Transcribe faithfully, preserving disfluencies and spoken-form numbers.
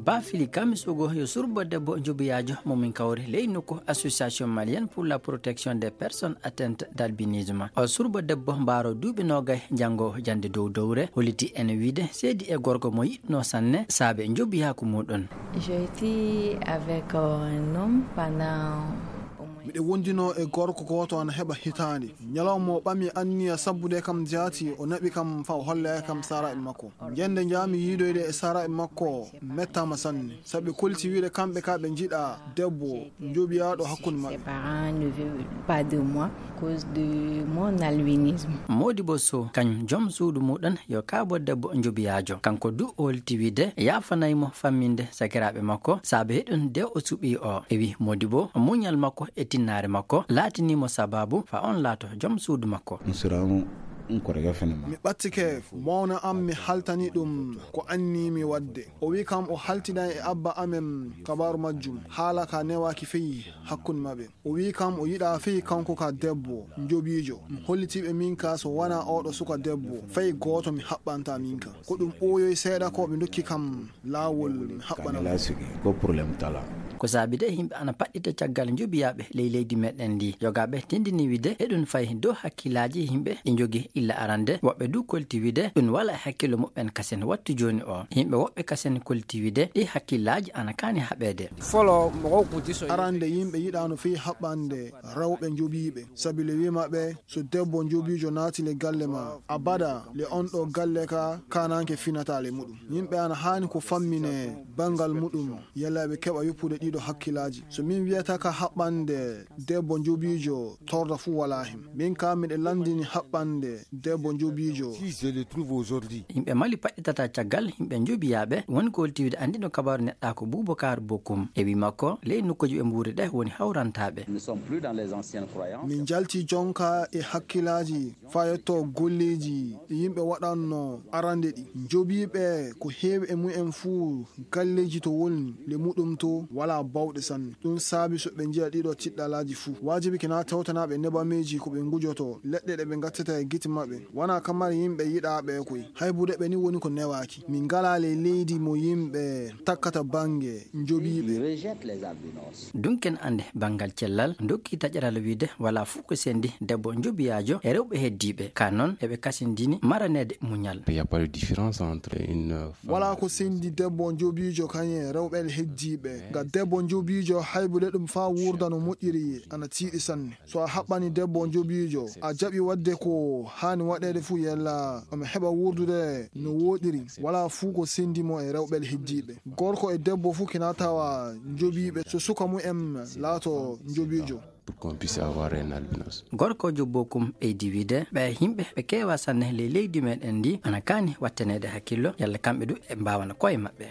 Pafili Kamisogo yo surbo debbo njobiyaajo mo min kawri ley nokku Association Malienne pour la Protection des Personnes Atteintes d'Albinisme. O surbo debbo mbaaro duuɓi noogay, janngo jannde dow dowre, holliti en wiide seedi e gorko mo yiɗno sanne saabe njobiyaaku muɗum. J'ai été avec euh, un homme pendant au moins. Miɗo wondino e gorko gooto ana heɓa hitaande. Ñalawma o ɓami anniya sabbude kam jaati, o naɓi kam fa o holla kam saaraaɓe makko. Ñande njaami yiidoyde e saaraaɓe makko, mettaama sanne. Sabi kolti wiide kamɓe ka ɓe njiɗa debbo njobiyaaɗo hakkunde maɓɓe. Ses parents ne veulent pas de moi à cause de mon albinisme. Modibo Sow, kañum joom suudu muɗum yo kaabo debbo njobiyaajo. Kanko du o holti wiide yaafanay mo famminde sakiraaɓe makko saabe heɗun de o suɓi o. E wi Modibo, muñal makko e tinnaare makko laatini mo sababu fa on laato joom suudu makko. N siraano n korega fene ma. Mi ɓattike mawna am, mi haltani ɗum ko anni mi waɗde. O wi kam o haltinan e abba amen kabaaru majjum, haala ka newaaki fey hakkunde maɓɓe. O wi kam o yiɗa fey kanko ka debbo njobiijo. Mi hollitiɓe min ka so wona oɗo suka debbo, fey gooto mi haɓɓanta min ka. Ko ɗum ɓooyoy seeɗa ko ɓe ndokki kam laawol mi haɓɓana mo. Ko problème tala. Ko saabi de yimɓe ana paɗɗita caggal njobiyaaɓe ley leydi meɗen ndi. Yogaaɓe tindini wiide eɗum fay dow hakkillaaji yimɓe ɗi njogi illa arande. Woɓɓe du kolti wiide ɗum wala e hakkillo muɓɓen kasen wattu jooni o. Yimɓe woɓɓe kasen kolti wiide ɗi hakkillaaji ana kaani haɓeede. Folo mo ko kuti so. Arande yimɓe yiɗano fii haɓɓande rewɓe njobiiɓe. Sabi le wi maɓɓe so debbo njobiijo naati le galle ma, abada le on ɗo galle ka kananke finata le muɗum. Yimɓe ana haani ko fammine bangal muɗum, yalla ɓe keɓa yoppude ɗiɗo hakkillaaji. So min wiyata ka haɓɓande debbo njobiijo, torda fuu walaa hen. Min ka miɗe lanndini haɓɓande debbo njobiijo. Si je le trouve aujourd'hui. Yimɓe Mali paɗɗitata caggal yimɓe njobiyaaɓe, woni ko holti wiide anndino kabaaru neɗɗa ko Boubacar Bokoum. E wi makko, ley nokkuuji ɓe mbuuri ɗe woni hawrantaaɓe. Nous sommes plus dans les anciennes croyances. Min njalti jonka e hakkillaaji faa yetto golleeji ɗi yimɓe waɗanno arande ɗi. Njobiiɓe ko heewi e mumen fuu galleeji to woni le muɗum to walaa bawɗe sanne. Ɗum saabi so ɓe njiya ɗiɗo tiɗɗalaaji fuu. Waajibi kina tawtanaaɓe nebameeji ko ɓe ngujoto, leɗɗe ɗe ɓe ngattata e gite maɓɓe. Wona kamar yimɓe yiɗaaɓe koy. Haybude ɓe ni woni ko newaaki. Min ngalaa le leydi mo yimɓe takkata bannge njobiiɓe. Ils rejettent les albinos. Dunken annde banngal cellal, ndokki taƴaral wiide walaa fuu ko sendi debbo njobiyaajo e rewɓe heddiiɓe. Ka noon, eɓe kasindini maraneede muñal. Il y a pas de différence entre une femme. Walaa ko sendi debbo njobiijo kañe rewɓe heddiiɓe. Nga debbo njobiijo haybude ɗum faa wuurda no moƴƴiri ana tiiɗi sanne. So a haɓɓani debbo njobiijo, a jaɓi waɗde ko haani waɗeede fuu yalla omo heɓa wuurdude no wooɗiri. Walaa fuu ko sendi mo e rewɓe heddiiɓe. Gorko e debbo fuu kina tawa njobiiɓe so suka mumen laato njobiijo. Pour qu'on puisse avoir un albinos. Gorkoojo Bokoum ɓeydi wiide ɓe yimɓe ɓe keewa sanne ley leydi meɗen ndi ana kaani wattaneede hakkillo yalla kamɓe du ɓe mbaawana koye maɓɓe.